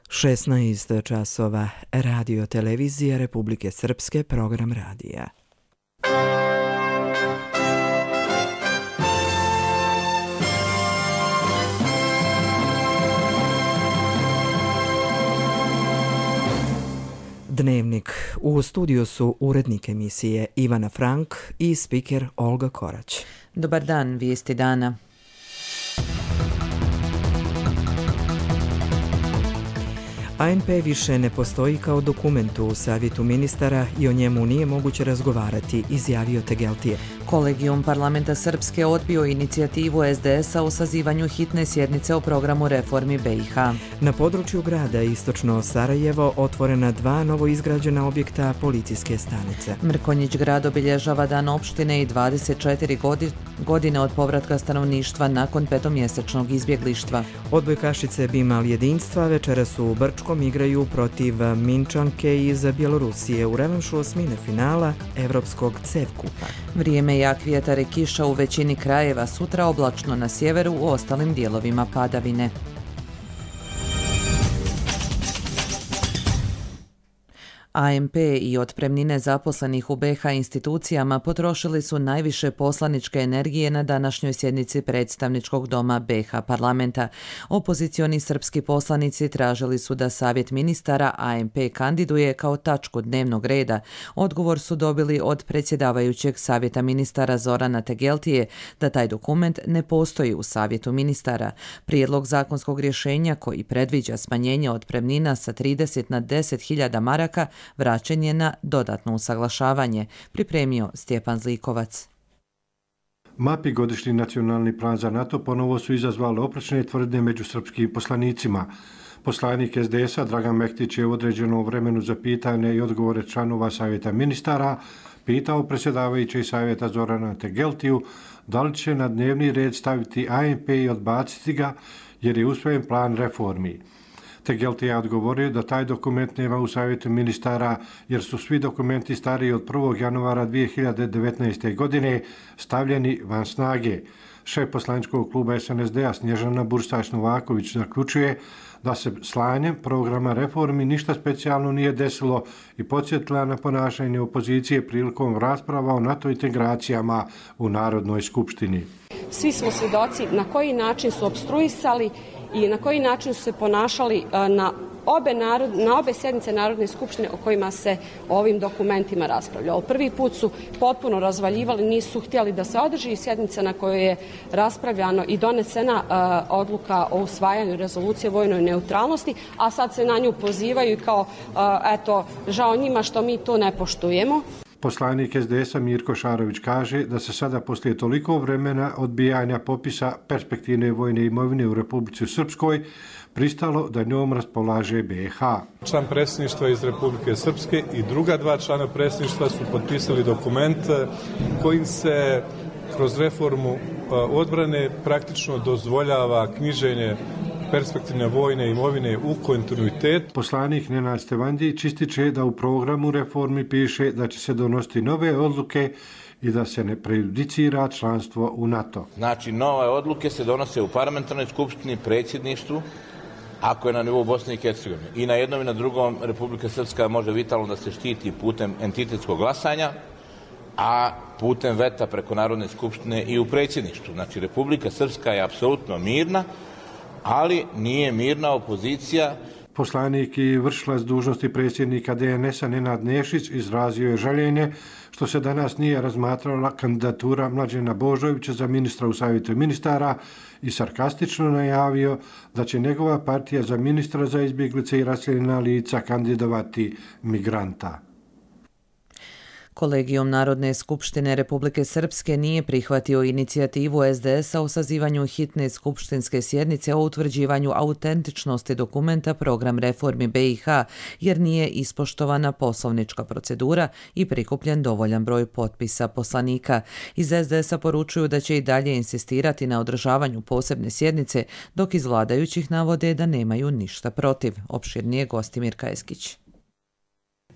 16 časova, Radio televizija Republike Srpske, program radija. Dnevnik. U studiju su urednik emisije Ivana Frank i spiker Olga Korać. Dobar dan, vijesti dana. ANP više ne postoji kao dokument u Savjetu ministara i o njemu nije moguće razgovarati, izjavio Tegeltije. Kolegijum parlamenta Srpske odbio inicijativu SDS-a o sazivanju hitne sjednice o programu reformi BiH. Na području grada Istočno Sarajevo otvorena 2 novoizgrađena objekta policijske stanice. Mrkonjić grad obilježava dan opštine i 24 godine od povratka stanovništva nakon petomjesečnog izbjeglištva. Odbojkašice Bimal jedinstva večeras u Brčkom igraju protiv Minčanke iz Bjelorusije u revanšu osmine finala Evropskog CEV kupa. Vrijeme jak vjetar i kiša u većini krajeva, sutra oblačno na sjeveru, u ostalim dijelovima padavine. ANP i otpremnine zaposlenih u BiH institucijama potrošili su najviše poslaničke energije na današnjoj sjednici predstavničkog doma BiH parlamenta. Opozicioni srpski poslanici tražili su da Savjet ministara ANP kandiduje kao tačku dnevnog reda. Odgovor su dobili od predsjedavajućeg Savjeta ministara Zorana Tegeltije da taj dokument ne postoji u Savjetu ministara. Prijedlog zakonskog rješenja koji predviđa smanjenje otpremnina sa 30 na 10.000 maraka vraćen je na dodatno usaglašavanje, pripremio Stjepan Zlikovac. MAP i godišnji nacionalni plan za NATO ponovo su izazvali oprečne tvrdnje među srpskim poslanicima. Poslanik SDS-a Dragan Mektić je u određenom vremenu za pitanje i odgovore članova Savjeta ministara pitao predsjedavajućeg Savjeta Zorana Tegeltiju da li će na dnevni red staviti ANP i odbaciti ga jer je usvojen plan reformi. Tegeltije je odgovorio da taj dokument nema u Savjetu ministara jer su svi dokumenti stariji od 1. januara 2019. godine stavljeni van snage. Šef poslaničkog kluba SNSD-a Snježana Bursač-Novaković zaključuje da se slanjem programa reformi ništa specijalno nije desilo i podsjetila na ponašanje opozicije prilikom rasprava o NATO integracijama u Narodnoj skupštini. Svi smo svjedoci na koji način su opstruisali i na koji način su se ponašali na obe sjednice Narodne skupštine o kojima se o ovim dokumentima raspravljalo. Prvi put su potpuno razvaljivali, nisu htjeli da se održi sjednica na kojoj je raspravljano i donesena odluka o usvajanju rezolucije o vojnoj neutralnosti, a sad se na nju pozivaju kao eto, žao njima što mi to ne poštujemo. Poslanik SDS-a Mirko Šarović kaže da se sada poslije toliko vremena odbijanja popisa perspektivne vojne imovine u Republici Srpskoj pristalo da njom raspolaže BiH. Član predsjedništva iz Republike Srpske i druga 2 člana predsjedništva su potpisali dokument kojim se kroz reformu odbrane praktično dozvoljava knjiženje perspektivne vojne imovine u kontinuitet. Poslanik Nenad Stevandić ističe da u programu reformi piše da će se donositi nove odluke i da se ne prejudicira članstvo u NATO. Znači, nove odluke se donose u parlamentarnoj skupštini, predsjedništvu, ako je na nivou Bosne i Hercegovine. I na jednom i na drugom Republika Srpska može vitalno da se štiti putem entitetskog glasanja, a putem veta preko Narodne skupštine i u predsjedništvu. Znači, Republika Srpska je apsolutno mirna, ali nije mirna opozicija. Poslanik i vršilac dužnosti predsjednika DNS-a Nenad Nešić izrazio je žaljenje što se danas nije razmatrala kandidatura Mlađena Božovića za ministra u Savjetu ministara i sarkastično najavio da će njegova partija za ministra za izbjeglice i raseljena lica kandidovati migranta. Kolegijum Narodne skupštine Republike Srpske nije prihvatio inicijativu SDS-a o sazivanju hitne skupštinske sjednice o utvrđivanju autentičnosti dokumenta program reformi BiH jer nije ispoštovana poslovnička procedura i prikupljen dovoljan broj potpisa poslanika. Iz SDS-a poručuju da će i dalje insistirati na održavanju posebne sjednice, dok iz vladajućih navode da nemaju ništa protiv. Opširnije Gostimir Kajeskić.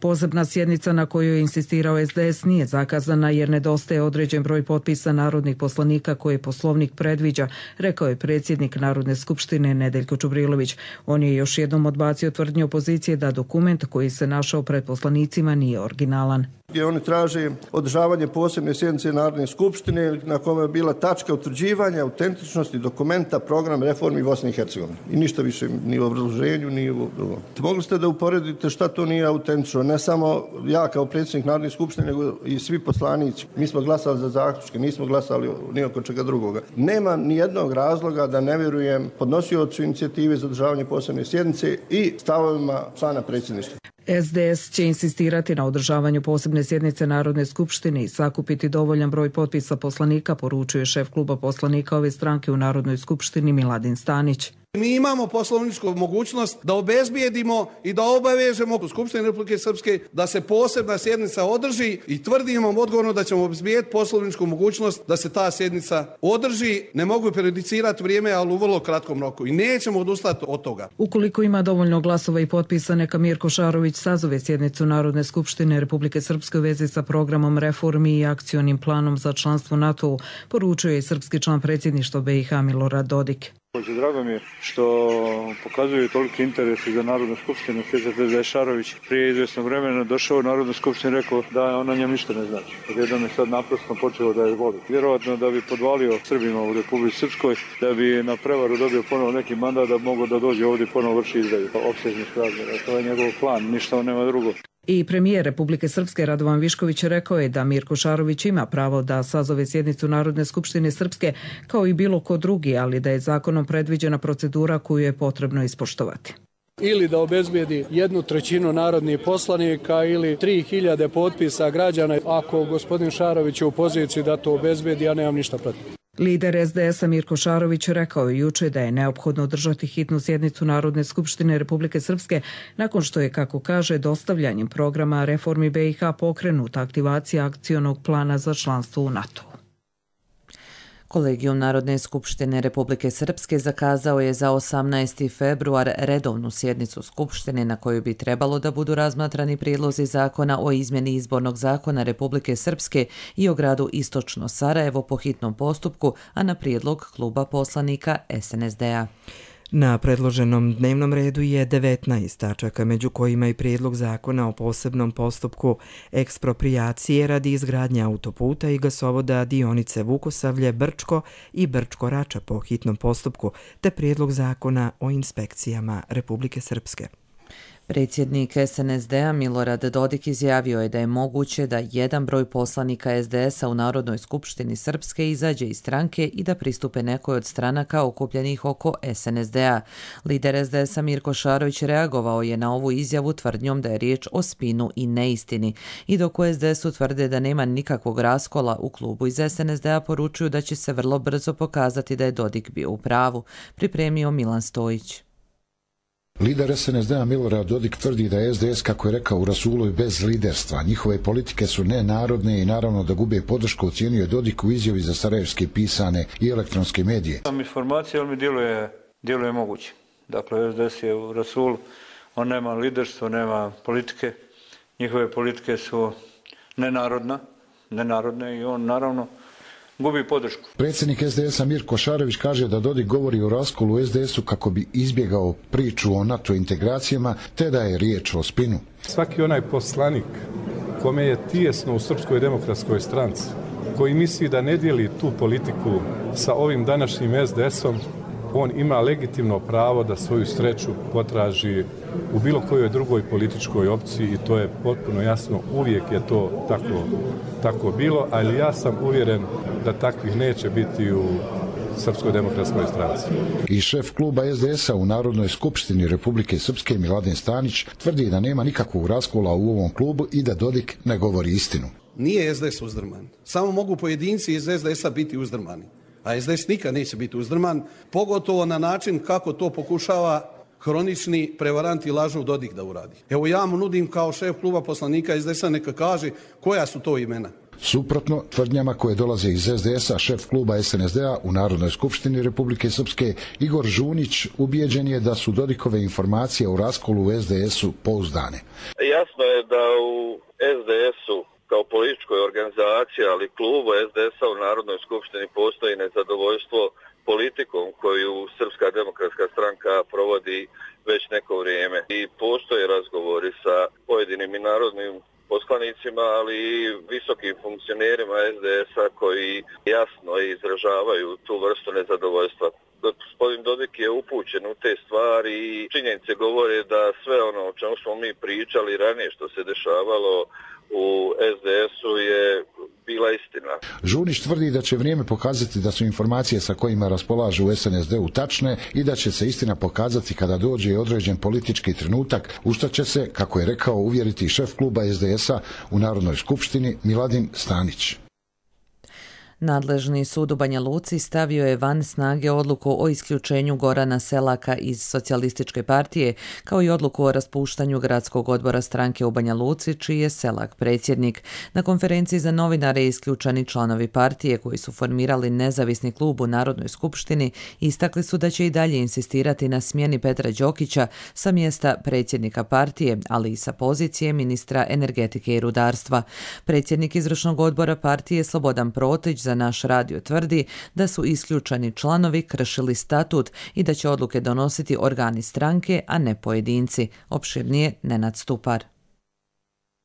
Posebna sjednica na kojoj je insistirao SDS nije zakazana jer nedostaje određen broj potpisa narodnih poslanika koje Poslovnik predviđa, rekao je predsjednik Narodne skupštine Nedeljko Čubrilović. On je još jednom odbacio tvrdnju opozicije da dokument koji se našao pred poslanicima nije originalan. Oni traže održavanje posebne sjednice Narodne skupštine na kojoj je bila tačka utvrđivanja autentičnosti dokumenta program reformi Bosne i Hercegovine. I ništa više ni u obrazloženju, ni u drugom. Mogli ste da uporedite šta to nije autentično. Ne samo ja kao predsjednik Narodne skupštine, nego i svi poslanici. Mi smo glasali za zaključke, nismo glasali ni oko čega drugoga. Nema ni jednog razloga da ne vjerujem podnosiocu inicijative za održavanje posebne sjednice i stavovima člana predsjedništva. SDS će insistirati na održavanju posebne sjednice Narodne skupštine i sakupiti dovoljan broj potpisa poslanika, poručuje šef kluba poslanika ove stranke u Narodnoj skupštini Miladin Stanić. Mi imamo poslovničku mogućnost da obezbijedimo i da obavežemo u Skupštini Republike Srpske da se posebna sjednica održi i tvrdimo odgovorno da ćemo obezbijediti poslovničku mogućnost da se ta sjednica održi. Ne mogu prejudicirati vrijeme, ali u vrlo kratkom roku i nećemo odustati od toga. Ukoliko ima dovoljno glasova i potpisa, neka Mirko Šarović sazove sjednicu Narodne skupštine Republike Srpske u vezi sa programom reformi i akcionim planom za članstvo NATO-u, poručuje i srpski član predsjedništva BiH Milorad Dodik. Drago mi je što pokazuju toliki interes za Narodnu skupštinu. Sjećate da je Šarović prije izvjesnog vremena došao u Narodnu skupštinu i rekao da ona njem ništa ne znači. Odjednom je sad naprosto počeo da je voli. Vjerojatno da bi podvalio Srbima u Republici Srpskoj, da bi na prevaru dobio ponovo neki mandat da mogu da dođe ovdje ponovo vrši izdaju opsežnih razmjera. To je njegov plan, ništa on nema drugo. I premijer Republike Srpske Radovan Višković rekao je da Mirko Šarović ima pravo da sazove sjednicu Narodne skupštine Srpske kao i bilo ko drugi, ali da je zakonom predviđena procedura koju je potrebno ispoštovati. Ili da obezbijedi 1/3 narodnih poslanika ili 3000 potpisa građana. Ako gospodin Šarović je u poziciji da to obezbijedi, ja nemam ništa protiv. Lider SDS-a Mirko Šarović rekao je juče da je neophodno održati hitnu sjednicu Narodne skupštine Republike Srpske nakon što je, kako kaže, dostavljanjem programa reformi BiH pokrenuta aktivacija akcionog plana za članstvo u NATO. Kolegijum Narodne skupštine Republike Srpske zakazao je za 18. februar redovnu sjednicu Skupštine na kojoj bi trebalo da budu razmatrani prijedlozi zakona o izmjeni izbornog zakona Republike Srpske i o gradu Istočno Sarajevo po hitnom postupku, a na prijedlog kluba poslanika SNSD-a. Na predloženom dnevnom redu je 19 tačaka, među kojima i prijedlog zakona o posebnom postupku eksproprijacije radi izgradnje autoputa i gasovoda dionice Vukosavlje-Brčko i Brčko-Rača po hitnom postupku, te prijedlog zakona o inspekcijama Republike Srpske. Predsjednik SNSD-a Milorad Dodik izjavio je da je moguće da jedan broj poslanika SDS-a u Narodnoj skupštini Srpske izađe iz stranke i da pristupe nekoj od stranaka okupljenih oko SNSD-a. Lider SDS-a Mirko Šarović reagovao je na ovu izjavu tvrdnjom da je riječ o spinu i neistini. I dok u SDS-u tvrde da nema nikakvog raskola u klubu iz SNSD-a, poručuju da će se vrlo brzo pokazati da je Dodik bio u pravu, pripremio Milan Stojić. Lider SNSD-a Milorad Dodik tvrdi da je SDS, kako je rekao u Rasulu, bez liderstva. Njihove politike su nenarodne i naravno da gube podršku, ocijenio je Dodik u izjavi za sarajevske pisane i elektronske medije. Sam informacija, ali mi djeluje moguće. Dakle, SDS je u Rasulu, on nema liderstvo, nema politike. Njihove politike su nenarodne i on naravno gubi podršku. Predsjednik SDS-a Mirko Šarović kaže da Dodik govori o raskolu u SDS-u kako bi izbjegao priču o NATO integracijama, te da je riječ o spinu. Svaki onaj poslanik kome je tijesno u Srpskoj demokratskoj stranci, koji misli da ne dijeli tu politiku sa ovim današnjim SDS-om, on ima legitimno pravo da svoju sreću potraži u bilo kojoj drugoj političkoj opciji i to je potpuno jasno, uvijek je to tako bilo, ali ja sam uvjeren da takvih neće biti u Srpskoj demokratskoj stranci. I šef kluba SDS-a u Narodnoj skupštini Republike Srpske Miladin Stanić tvrdi da nema nikakvog raskola u ovom klubu i da Dodik ne govori istinu. Nije SDS uzdrman. Samo mogu pojedinci iz SDS-a biti uzdrmani. A SDS nikad neće biti uzdrman, pogotovo na način kako to pokušava hronični prevarant i lažov Dodik da uradi. Evo ja mu nudim kao šef kluba poslanika SDS-a neka kaže koja su to imena. Suprotno tvrdnjama koje dolaze iz SDS-a, šef kluba SNSD-a u Narodnoj skupštini Republike Srpske Igor Žunić ubijeđen je da su Dodikove informacije o raskolu u SDS-u pouzdane. Jasno je da u SDS-u kao političkoj organizaciji, ali klubu SDS-a u Narodnoj skupštini postoji nezadovoljstvo politikom koju Srpska demokratska stranka provodi već neko vrijeme. I postoje razgovori sa pojedinim i narodnim poslanicima, ali i visokim funkcionerima SDS-a koji jasno izražavaju tu vrstu nezadovoljstva. Gospodin Dodik je upućen u te stvari i činjenice govore da sve ono o čemu smo mi pričali ranije što se dešavalo u SDS-u je bila istina. Žunić tvrdi da će vrijeme pokazati da su informacije sa kojima raspolažu u SNSD-u tačne i da će se istina pokazati kada dođe određen politički trenutak, u što će se, kako je rekao, uvjeriti šef kluba SDS-a u Narodnoj skupštini Miladin Stanić. Nadležni sud u Banja Luci stavio je van snage odluku o isključenju Gorana Selaka iz Socijalističke partije, kao i odluku o raspuštanju gradskog odbora stranke u Banja Luci, čiji je Selak predsjednik. Na konferenciji za novinare isključeni članovi partije koji su formirali nezavisni klub u Narodnoj skupštini istakli su da će i dalje insistirati na smjeni Petra Đokića sa mjesta predsjednika partije, ali i sa pozicije ministra energetike i rudarstva. Predsjednik izvršnog odbora partije Slobodan Protić za Naš radio tvrdi da su isključeni članovi kršili statut i da će odluke donositi organi stranke, a ne pojedinci. Opširnije Nenad Stupar.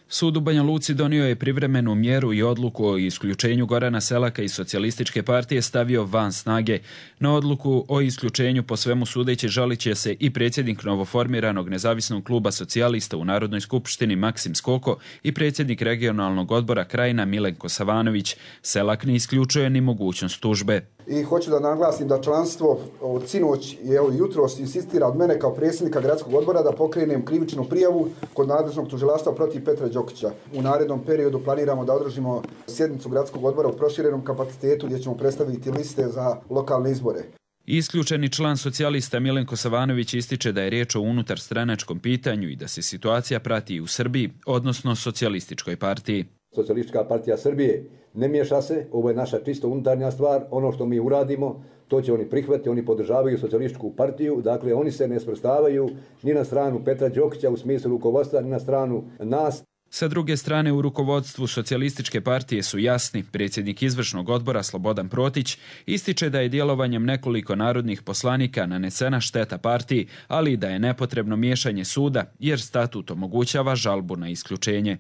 Sud u Banja Luci donio je privremenu mjeru i odluku o isključenju Gorana Selaka iz Socijalističke partije stavio van snage. Na odluku o isključenju po svemu sudeći žalit će se i predsjednik novoformiranog nezavisnog kluba socijalista u Narodnoj skupštini Maksim Skoko i predsjednik regionalnog odbora Krajina Milenko Savanović. Selak ne isključuje ni mogućnost tužbe. I hoću da naglasim da članstvo od sinoć i evo jutros insistira od mene kao predsjednika gradskog odbora da pokrenem krivičnu prijavu kod nadležnog tužilaštva protiv Petra Đokića. U narednom periodu planiramo da održimo sjednicu gradskog odbora u proširenom kapacitetu gdje ćemo predstaviti liste za lokalne izbore. Isključeni član socijalista Milenko Savanović ističe da je riječ o unutarstranačkom pitanju i da se situacija prati i u Srbiji, odnosno Socijalističkoj partiji. Socijalistička partija Srbije ne miješa se, ovo je naša čisto unutarnja stvar, ono što mi uradimo, to će oni prihvatiti, oni podržavaju Socijalističku partiju, dakle oni se ne svrstavaju ni na stranu Petra Đokića u smislu rukovodstva, ni na stranu nas. Sa druge strane, u rukovodstvu Socijalističke partije su jasni. Predsjednik izvršnog odbora Slobodan Protić ističe da je djelovanjem nekoliko narodnih poslanika nanesena šteta partiji, ali i da je nepotrebno miješanje suda jer statut omogućava žalbu na isključenje.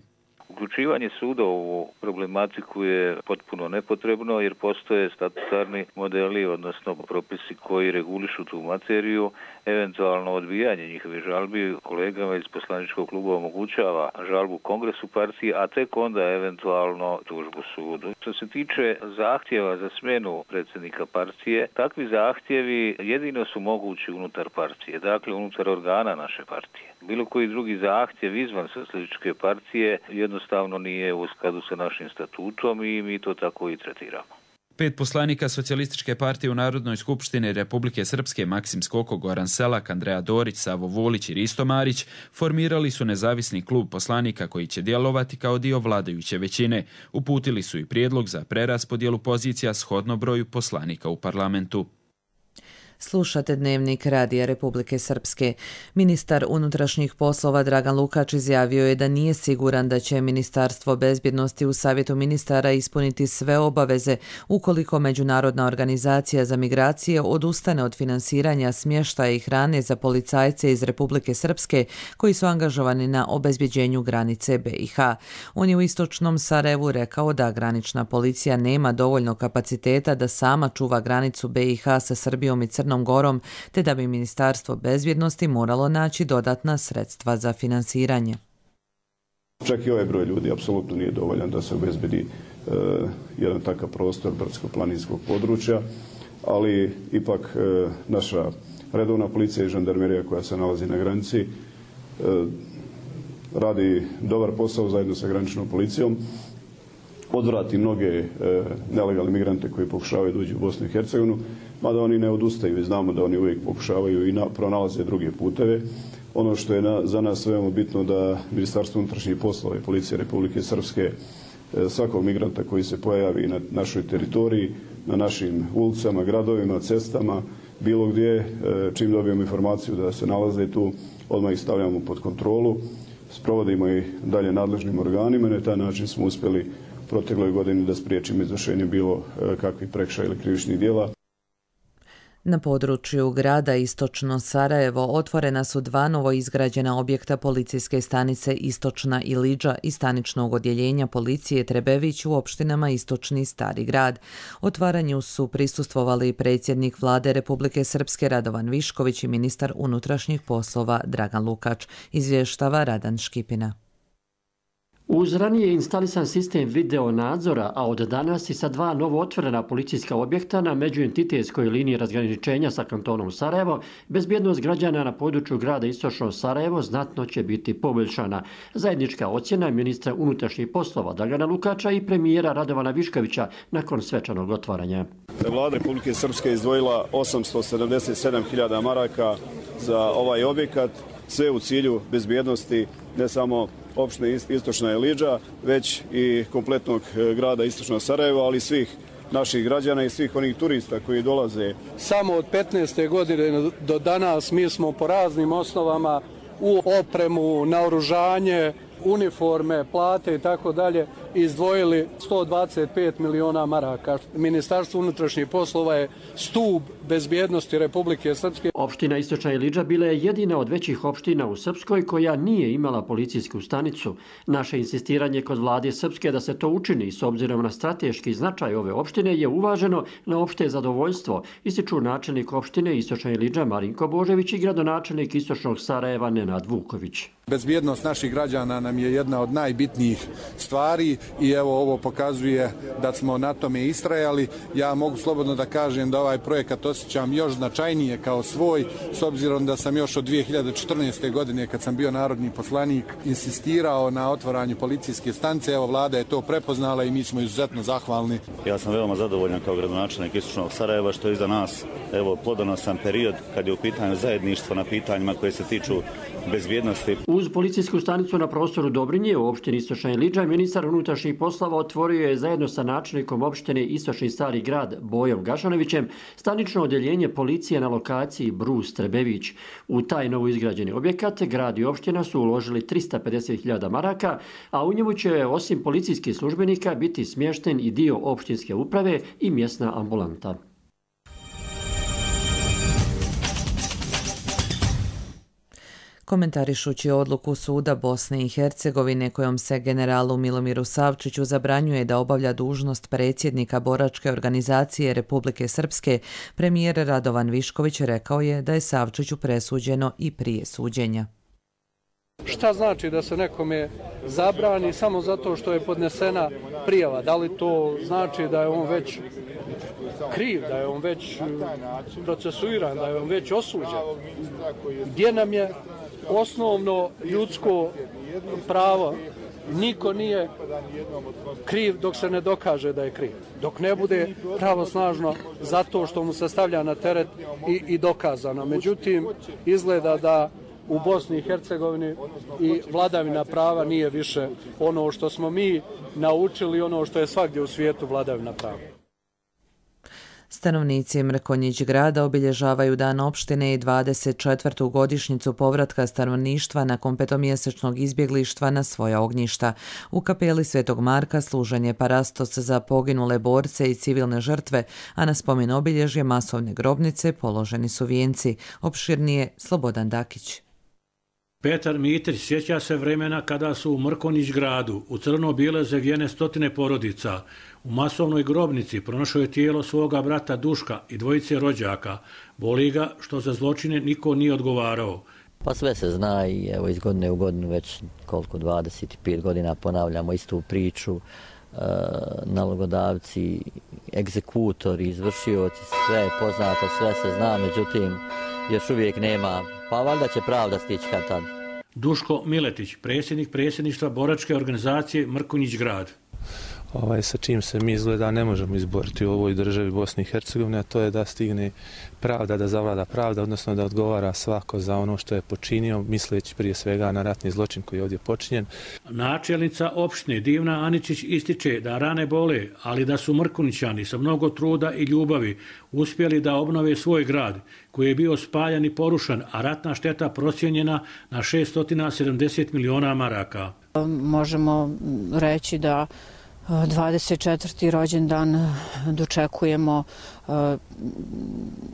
Uključivanje suda u ovu problematiku je potpuno nepotrebno jer postoje statutarni modeli, odnosno propisi koji regulišu tu materiju. Eventualno odbijanje njihovih žalbi kolegama iz poslaničkog kluba omogućava žalbu kongresu partije, a tek onda eventualno tužbu sudu. Što se tiče zahtjeva za smjenu predsjednika partije, takvi zahtjevi jedino su mogući unutar partije, dakle unutar organa naše partije. Bilo koji drugi zahtjev izvan Socijalističke partije jednostavno nije u skladu sa našim statutom i mi to tako i tretiramo. 5 poslanika Socijalističke partije u Narodnoj skupštini Republike Srpske Maksim Skoko, Goran Selak, Andreja Dorić, Savo Vulić i Risto Marić formirali su nezavisni klub poslanika koji će djelovati kao dio vladajuće većine. Uputili su i prijedlog za preraspodjelu pozicija shodno broju poslanika u parlamentu. Slušate Dnevnik Radija Republike Srpske. Ministar unutrašnjih poslova Dragan Lukač izjavio je da nije siguran da će Ministarstvo bezbjednosti u Savjetu ministara ispuniti sve obaveze ukoliko Međunarodna organizacija za migracije odustane od finansiranja smještaja i hrane za policajce iz Republike Srpske koji su angažovani na obezbjeđenju granice BiH. On je u istočnom Sarajevu rekao da granična policija nema dovoljno kapaciteta da sama čuva granicu BiH sa Srbijom i Crnom Gorom, te da bi Ministarstvo bezbjednosti moralo naći dodatna sredstva za finansiranje. Čak i ovaj broj ljudi apsolutno nije dovoljan da se obezbedi jedan takav prostor brdsko-planinskog područja, ali ipak naša redovna policija i žandarmerija koja se nalazi na granici radi dobar posao zajedno sa graničnom policijom, odvrati mnoge nelegalne migrante koji pokušavaju doći u Bosnu i Hercegovinu, mada oni ne odustaju i znamo da oni uvijek pokušavaju i pronalaze druge puteve. Ono što je za nas veoma bitno da Ministarstvo unutrašnjih poslova i Policija Republike Srpske svakog migranta koji se pojavi na našoj teritoriji, na našim ulicama, gradovima, cestama, bilo gdje, čim dobijemo informaciju da se nalaze tu, odmah ih stavljamo pod kontrolu, sprovodimo ih dalje nadležnim organima i na taj način smo uspjeli protekloj godini da spriječimo izvršenje bilo kakvih prekršaja ili krivičnih djela. Na području grada Istočno Sarajevo otvorena su 2 novoizgrađena objekta policijske stanice Istočna Ilidža i staničnog odjeljenja policije Trebević u opštinama Istočni i Stari grad. Otvaranju su prisustvovali predsjednik Vlade Republike Srpske Radovan Višković i ministar unutrašnjih poslova Dragan Lukač, izvještava Radan Škipina. Uz ranije instalisan sistem video nadzora, a od danas i sa 2 novo otvorena policijska objekta na međuentitetskoj liniji razgraničenja sa kantonom Sarajevo, bezbjednost građana na području grada Istočno Sarajevo znatno će biti poboljšana. Zajednička ocjena ministra unutrašnjih poslova Dragana Lukača i premijera Radovana Viškovića nakon svečanog otvaranja. Vlada Republike Srpske izdvojila 877.000 maraka za ovaj objekat, sve u cilju bezbjednosti ne samo opštine Istočna Ilidža, već i kompletnog grada Istočno Sarajevo, ali svih naših građana i svih onih turista koji dolaze. Samo od 15. godine do danas mi smo po raznim osnovama u opremu, naoružanje, uniforme, plate i tako dalje izdvojili 125 miliona maraka. Ministarstvo unutrašnjih poslova je stup bezbjednosti Republike Srpske. Opština Istočna Ilidža bila je jedina od većih opština u Srpskoj koja nije imala policijsku stanicu. Naše insistiranje kod vlade Srpske da se to učini s obzirom na strateški značaj ove opštine je uvaženo na opšte zadovoljstvo, ističu načelnik opštine Istočna Ilidža Marinko Božević i gradonačelnik Istočnog Sarajeva Nenad Vuković. Bezbjednost naših građana nam je jedna od najbitnijih stvari i evo ovo pokazuje da smo na tome istrajali. Ja mogu slobodno da kažem da ovaj projekat osjećam još značajnije kao svoj, s obzirom da sam još od 2014. godine kad sam bio narodni poslanik insistirao na otvaranju policijske stanice. Evo vlada je to prepoznala i mi smo izuzetno zahvalni. Ja sam veoma zadovoljan kao gradonačelnik Istočnog Sarajeva što je iza nas evo plodonosan period kad je u pitanju zajedništvo na pitanjima koje se tiču bezbjednosti. Uz policijsku stanicu na prostoru Dobrinje u opštini Istočna Ilidža ministar unutrašnjih poslova otvorio je zajedno sa načelnikom opštine Istočni Stari grad Bojom Gašanovićem stanično odjeljenje policije na lokaciji Brus Trebević. U taj novo izgrađeni objekat grad i opština su uložili 350.000 maraka, a u njemu će osim policijskih službenika biti smješten i dio opštinske uprave i mjesna ambulanta. Komentarišući odluku suda Bosne i Hercegovine kojom se generalu Milomiru Savčiću zabranjuje da obavlja dužnost predsjednika boračke organizacije Republike Srpske, premijer Radovan Višković rekao je da je Savčiću presuđeno i prije suđenja. Šta znači da se nekome zabrani samo zato što je podnesena prijava? Da li to znači da je on već kriv, da je on već procesuiran, da je on već osuđen? Gdje nam je osnovno ljudsko pravo? Niko nije kriv dok se ne dokaže da je kriv. Dok ne bude pravosnažno zato što mu se stavlja na teret i dokazano. Međutim, izgleda da u Bosni i Hercegovini i vladavina prava nije više ono što smo mi naučili, ono što je svagdje u svijetu vladavina prava. Stanovnici Mrkonjić grada obilježavaju dan opštine i 24. godišnjicu povratka stanovništva nakon petomjesečnog izbjeglištva na svoja ognjišta. U kapeli Svetog Marka služen je parastos za poginule borce i civilne žrtve, a na spomen obilježje masovne grobnice položeni su vijenci. Opširnije Slobodan Dakić. Petar Mitrić sjeća se vremena kada su u Mrkonjić gradu u crno-bijele zavijene stotine porodica. U masovnoj grobnici pronašao je tijelo svoga brata Duška i dvojice rođaka. Boli ga što za zločine niko nije odgovarao. Pa sve se zna i evo iz godine u godinu već koliko 25 godina ponavljamo istu priču. Nalogodavci, egzekutori, izvršioci, sve je poznato, sve se zna, međutim još uvijek nema, pa valjda će pravda stići kad tad. Duško Miletić, predsjednik predsjedništva boračke organizacije Mrkonjić grad. sa čim se mi izgleda ne možemo izboriti u ovoj državi Bosni i Hercegovine, a to je da stigne pravda, da zavlada pravda, odnosno da odgovara svako za ono što je počinio, misleći prije svega na ratni zločin koji je ovdje počinjen. Načelnica opštine Divna Aničić ističe da rane bole, ali da su Mrkunićani sa mnogo truda i ljubavi uspjeli da obnove svoj grad koji je bio spaljan i porušan, a ratna šteta procijenjena na 670 miliona maraka. Možemo reći da 24. rođendan dočekujemo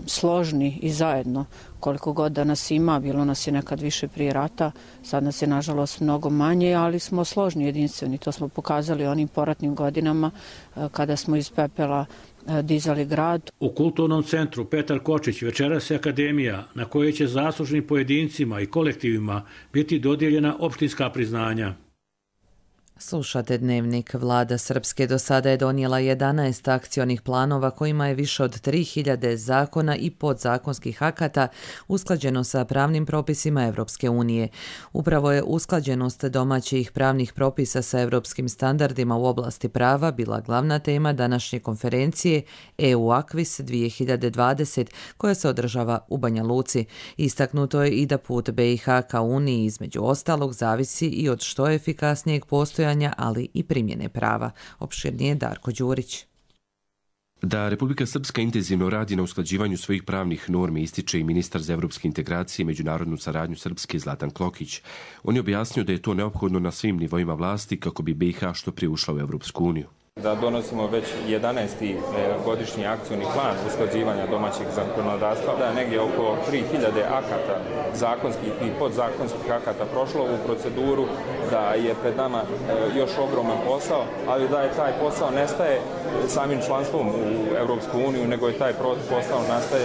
složni i zajedno. Koliko god da nas ima, bilo nas je nekad više prije rata, sad nas je nažalost mnogo manje, ali smo složni, jedinstveni. To smo pokazali onim poratnim godinama kada smo iz pepela dizali grad. U kulturnom centru Petar Kočić večeras je akademija na kojoj će zaslužnim pojedincima i kolektivima biti dodijeljena opštinska priznanja. Slušate Dnevnik. Vlada Srpske do sada je donijela 11 akcionih planova kojima je više od 3000 zakona i podzakonskih akata usklađeno sa pravnim propisima Evropske unije. Upravo je usklađenost domaćih pravnih propisa sa evropskim standardima u oblasti prava bila glavna tema današnje konferencije EU Aquis 2020 koja se održava u Banja Luci. Istaknuto je i da put BiH ka Uniji između ostalog zavisi i od što efikasnijeg postojanja, ali i primjene prava. Opširnije Darko Đurić. Da Republika Srpska intenzivno radi na usklađivanju svojih pravnih normi ističe i ministar za evropske integracije i međunarodnu saradnju Srpske Zlatan Klokić. On je objasnio da je to neophodno na svim nivoima vlasti kako bi BiH što prije ušla u Evropsku uniju. Da donosimo već 11. godišnji akcioni plan usklađivanja domaćeg zakonodavstva, da je negdje oko 3000 akata zakonskih i podzakonskih akata prošlo u proceduru, da je pred nama još ogroman posao, ali da je taj posao nestaje samim članstvom u Evropsku uniju, nego je taj posao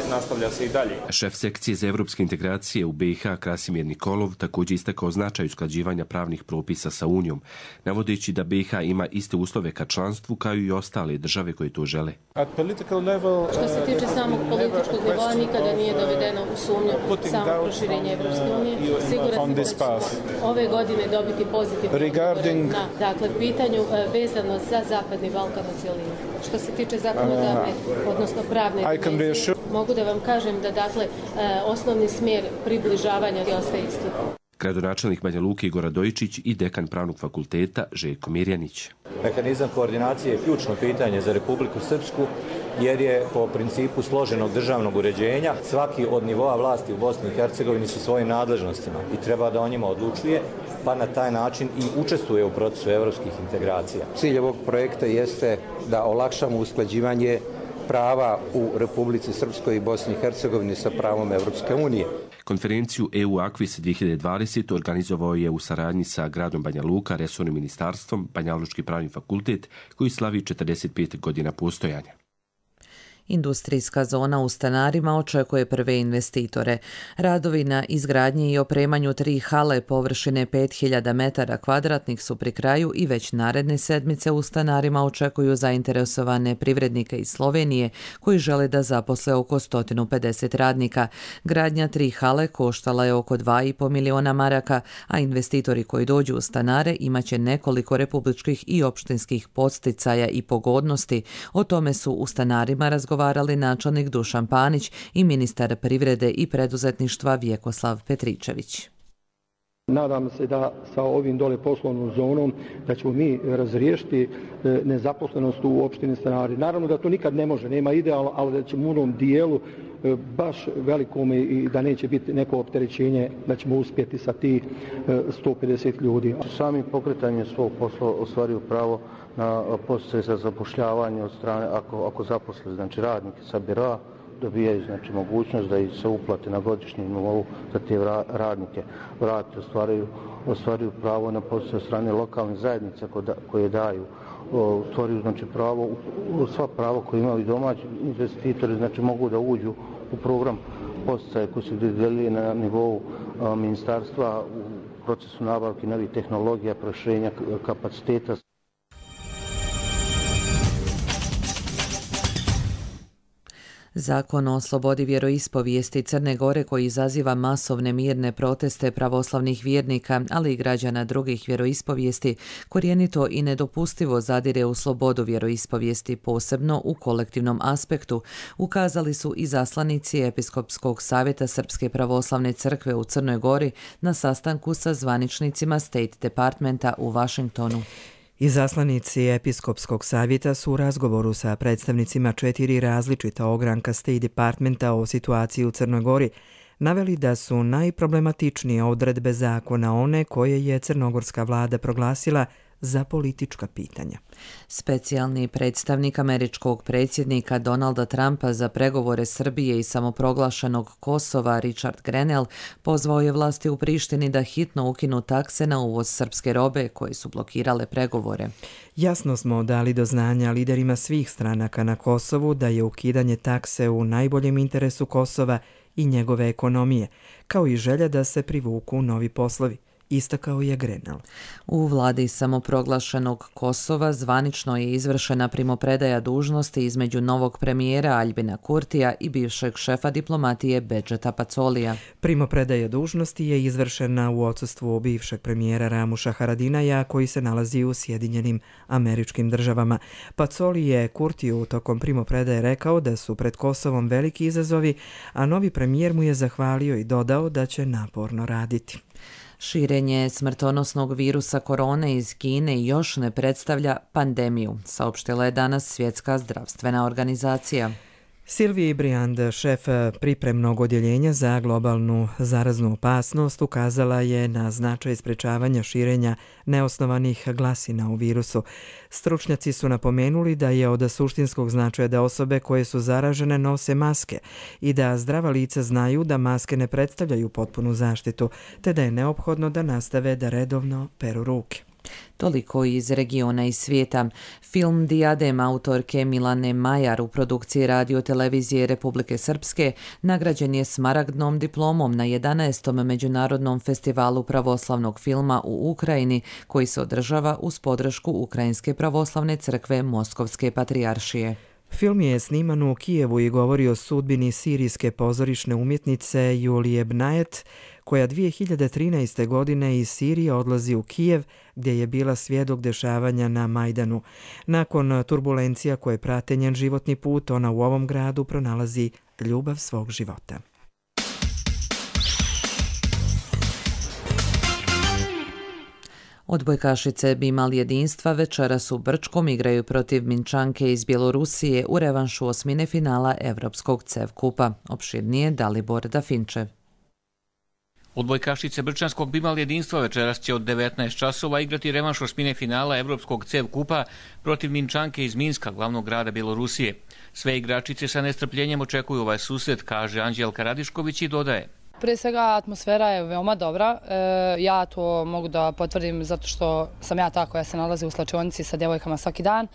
nastavlja se i dalje. Šef sekcije za evropske integracije u BiH Krasimir Nikolov također istakao značaj usklađivanja pravnih propisa sa Unijom, navodeći da BiH ima iste uslove ka članstvu kao i ostale države koje to žele. Što se tiče samog političkog nivoa, nikada nije dovedeno u sumnju samo proširenje Evropske unije. Siguran sam da će ove godine dobiti pozitivno na pitanju vezano za Zapadni Balkan u cijelini. Što se tiče zakonodavne, odnosno pravne dimenzije, mogu da vam kažem da osnovni smjer približavanja ostaje isti. Gradonačelnik Banja Luke Igor Radojičić i dekan Pravnog fakulteta Željko Mirjanić. Mehanizam koordinacije je ključno pitanje za Republiku Srpsku jer je po principu složenog državnog uređenja svaki od nivoa vlasti u Bosni i Hercegovini sa svojim nadležnostima i treba da o njima odlučuje, pa na taj način i učestvuje u procesu evropskih integracija. Cilj ovog projekta jeste da olakšamo usklađivanje prava u Republici Srpskoj i Bosni i Hercegovini sa pravom Evropske unije. Konferenciju EU Aquis 2020 organizovao je u saradnji sa gradom Banja Luka, resornim ministarstvom, Banjalučki pravni fakultet koji slavi 45 godina postojanja. Industrijska zona u Stanarima očekuje prve investitore. Radovi na izgradnji i opremanju 3 hale površine 5000 metara kvadratnih su pri kraju i već naredne sedmice u Stanarima očekuju zainteresovane privrednike iz Slovenije koji žele da zaposle oko 150 radnika. Gradnja 3 hale koštala je oko 2,5 miliona maraka, a investitori koji dođu u Stanare imaće nekoliko republičkih i opštinskih podsticaja i pogodnosti. O tome su u Stanarima razgovarali načelnik Dušan Panić i ministar privrede i preduzetništva Vjekoslav Petričević. Nadam se da sa ovim dole poslovnom zonom da ćemo mi razriješiti nezaposlenost u opštini Stanari. Naravno da to nikad ne može, nema idealno, ali da ćemo u onom dijelu baš velikom i da neće biti neko opterećenje, da ćemo uspjeti sa ti 150 ljudi. Sami pokretanjem svog posla ostvaruju pravo na podsticaj za zapošljavanje od strane, ako zaposle radnike sa bira, dobijaju mogućnost da ih se uplate na godišnjem nivou za te radnike. Vrati ostvaruju pravo na podsticaj od strane lokalnih zajednica koje daju. Ostvaruju pravo, sva prava koje imaju domaći investitori, mogu da uđu u program podsticaja koji se dodjeljuje na nivou ministarstva u procesu nabavke novih tehnologija, proširenja kapaciteta. Zakon o slobodi vjeroispovijesti Crne Gore koji izaziva masovne mirne proteste pravoslavnih vjernika, ali i građana drugih vjeroispovijesti, korijenito i nedopustivo zadire u slobodu vjeroispovijesti, posebno u kolektivnom aspektu, ukazali su i zaslanici Episkopskog savjeta Srpske pravoslavne crkve u Crnoj Gori na sastanku sa zvaničnicima State Departmenta u Washingtonu. Izaslanici Episkopskog savjeta su u razgovoru sa predstavnicima 4 različita ogranka State Departmenta o situaciji u Crnoj Gori naveli da su najproblematičnije odredbe zakona one koje je crnogorska vlada proglasila za politička pitanja. Specijalni predstavnik američkog predsjednika Donalda Trumpa za pregovore Srbije i samoproglašenog Kosova Richard Grenell pozvao je vlasti u Prištini da hitno ukinu takse na uvoz srpske robe koje su blokirale pregovore. Jasno smo dali do znanja liderima svih stranaka na Kosovu da je ukidanje takse u najboljem interesu Kosova i njegove ekonomije, kao i želja da se privuku novi poslovi, istakao je Grenell. U vladi samoproglašenog Kosova zvanično je izvršena primopredaja dužnosti između novog premijera Aljbina Kurtija i bivšeg šefa diplomatije Bedžeta Pacolija. Primopredaja dužnosti je izvršena u odsustvu bivšeg premijera Ramuša Haradinaja koji se nalazi u Sjedinjenim Američkim Državama. Pacoli je Kurtiju tokom primopredaje rekao da su pred Kosovom veliki izazovi, a novi premijer mu je zahvalio i dodao da će naporno raditi. Širenje smrtonosnog virusa korone iz Kine još ne predstavlja pandemiju, saopštila je danas Svjetska zdravstvena organizacija. Silviji Briand, šef pripremnog odjeljenja za globalnu zaraznu opasnost, ukazala je na značaj sprečavanja širenja neosnovanih glasina u virusu. Stručnjaci su napomenuli da je od suštinskog značaja da osobe koje su zaražene nose maske i da zdrava lica znaju da maske ne predstavljaju potpunu zaštitu, te da je neophodno da nastave da redovno peru ruke. Toliko iz regiona i svijeta. Film Diadem autorke Milane Majar u produkciji Radio-televizije Republike Srpske nagrađen je smaragdnom diplomom na 11. Međunarodnom festivalu pravoslavnog filma u Ukrajini koji se održava uz podršku Ukrajinske pravoslavne crkve Moskovske patrijaršije. Film je sniman u Kijevu i govori o sudbini sirijske pozorišne umjetnice Julije Bnajet, koja 2013. godine iz Sirije odlazi u Kijev, gdje je bila svjedok dešavanja na Majdanu. Nakon turbulencija koje prate njen životni put, ona u ovom gradu pronalazi ljubav svog života. Odbojkašice Bimal jedinstva večeras u Brčkom igraju protiv Minčanke iz Bjelorusije u revanšu osmine finala Evropskog CEV kupa. Opširnije Dalibor Dafinčev. Odbojkašice Brčanskog Bimal jedinstva večeras će od 19 časova igrati revanš osmine finala Evropskog CEV kupa protiv Minčanke iz Minska, glavnog grada Bjelorusije. Sve igračice sa nestrpljenjem očekuju ovaj susret, kaže Anđelka Radišković i dodaje. Prije svega atmosfera je veoma dobra. Ja to mogu da potvrdim zato što sam ja ta koja se nalazi u slačionici sa djevojkama svaki dan.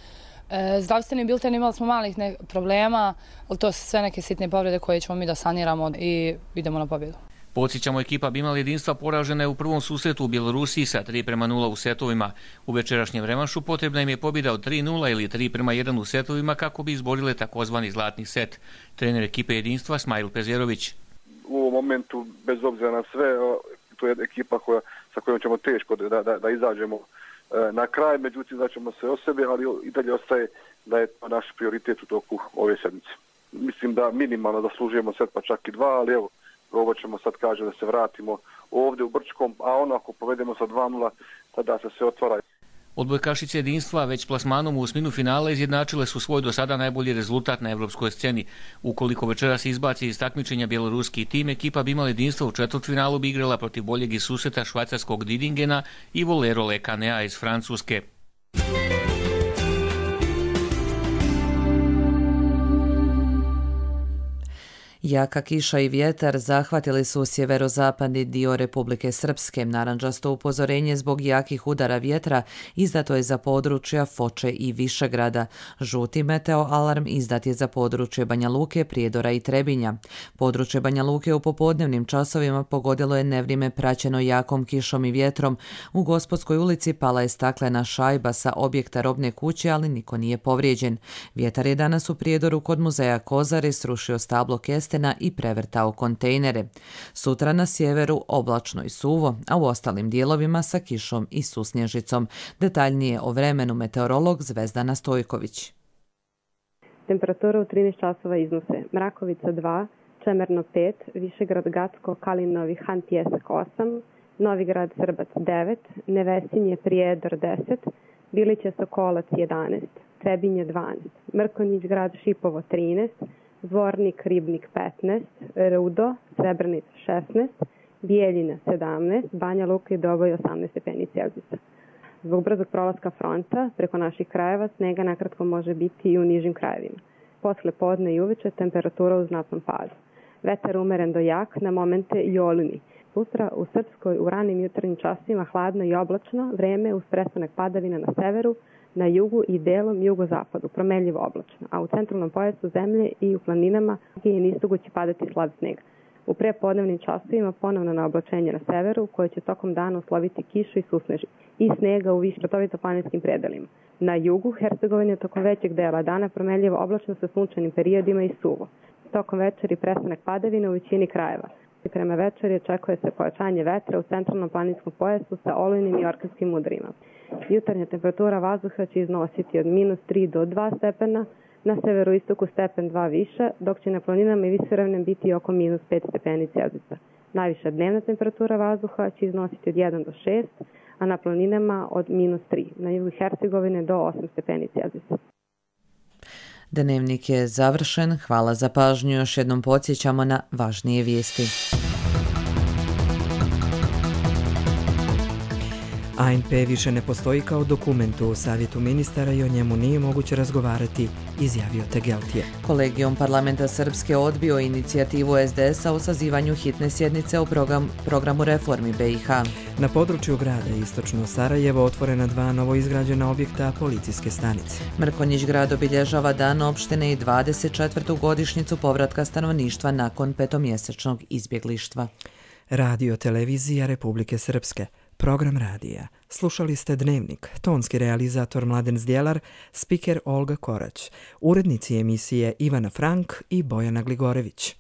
Zdravstveni bilten imali smo malih problema, ali to su sve neke sitne povrede koje ćemo mi da saniramo i idemo na pobjedu. Podsjećamo, ekipa Bimal jedinstva poražena je u prvom susretu u Bjelorusiji sa 3:0 u setovima. U večerašnjem revanšu potrebna im je pobjeda od 3:0 ili 3:1 u setovima kako bi izborile takozvani zlatni set. Trener ekipe jedinstva Smajl Pezerović. U ovom momentu, bez obzira na sve, to je ekipa sa kojom ćemo teško da izađemo na kraj, međutim znaćemo se o sebi, ali i dalje ostaje da je to naš prioritet u toku ove sedmice. Mislim da minimalno zaslužujemo set, pa čak i 2, ali evo, probat ćemo sad, kaže, da se vratimo ovdje u Brčkom, a ono ako povedemo sa 2:0, tada se sve otvara. Odbojkašice jedinstva već plasmanom u osminu finala izjednačile su svoj do sada najbolji rezultat na evropskoj sceni. Ukoliko večeras izbaci iz takmičenja bjeloruski tim, ekipa Bimal jedinstva u četvrtfinalu bi igrala protiv boljeg iz susreta švajcarskog Didingena i Volero Le Canea iz Francuske. Jaka kiša i vjetar zahvatili su sjeverozapadni dio Republike Srpske. Narandžasto upozorenje zbog jakih udara vjetra izdato je za područja Foče i Višegrada. Žuti meteo alarm izdat je za područje Banja Luke, Prijedora i Trebinja. Područje Banja Luke u popodnevnim časovima pogodilo je nevrijeme praćeno jakom kišom i vjetrom. U Gospodskoj ulici pala je staklena šajba sa objekta robne kuće, ali niko nije povrijeđen. Vjetar je danas u Prijedoru kod muzeja Kozare srušio stablo kestena i prevrtao kontejnere. Sutra na sjeveru oblačno i suvo, a u ostalim dijelovima sa kišom i susnježicom. Detaljnije o vremenu meteorolog Zvezdana Stojković. Temperatura u 13 časova iznose Mrakovica 2, Čemerno 5, Višegrad Gacko, Kalinovi, Han Pjesak 8, Novigrad Srbac 9, Nevesinje Prijedor 10, Biliće Sokolac 11, Trebinje 12, Mrkonjić Grad Šipovo 13, Zvornik Ribnik 15, Rudo Srebrenica 16, Bijeljina 17, Banja Luka i Doboj 18 stepeni Celzijusa. Zbog brzog prolaska fronta preko naših krajeva snega nakratko može biti i u nižim krajevima. Posle podne i uveče temperatura u znatnom padu. Vetar umeren do jak, na momente i olujni. Sutra u Srpskoj u ranim jutarnjim časima hladno i oblačno, vreme uz prestanak padavina na severu, na jugu i delom jugozapadu, promenljivo oblačno, a u centralnom pojasu zemlje i u planinama je nistugo će padati slab sneg. U prepodnevnim časovima ponovno na oblačenje na severu, koje će tokom dana usloviti kišu i susneži i snega u višeprotovito planinskim predelima. Na jugu Hercegovine tokom većeg dela dana promenljivo oblačno sa sunčanim periodima i suvo. Tokom večeri prestanak padavina u većini krajeva. Prema večeri očekuje se pojačanje vetra u centralnom planinskom pojasu sa olujnim i orkanskim udarima. Jutarnja temperatura vazduha će iznositi od -3 do 2 stepena, na severoistoku stepen 2 više, dok će na planinama i visoravnim biti oko -5 stepeni Celzijusa. Najviša dnevna temperatura vazduha će iznositi od 1 do 6, a na planinama od -3, na jugu Hercegovine do 8 stepeni Celzijusa. Dnevnik je završen. Hvala za pažnju. Još jednom podsjećamo na važnije vijesti. ANP više ne postoji kao dokument u Savjetu ministara i o njemu nije moguće razgovarati, izjavio Tegeltije. Kolegijum parlamenta Srpske odbio inicijativu SDS-a o sazivanju hitne sjednice o programu reformi BiH. Na području grada Istočno Sarajevo otvorena 2 novoizgrađena objekta policijske stanice. Mrkonjić grad obilježava dan opštine i 24. godišnjicu povratka stanovništva nakon 5-mjesečnog izbjeglištva. Radio televizija Republike Srpske. Program radija. Slušali ste Dnevnik, tonski realizator Mladen Zdjelar, spiker Olga Korać, urednici emisije Ivana Frank i Bojana Gligorević.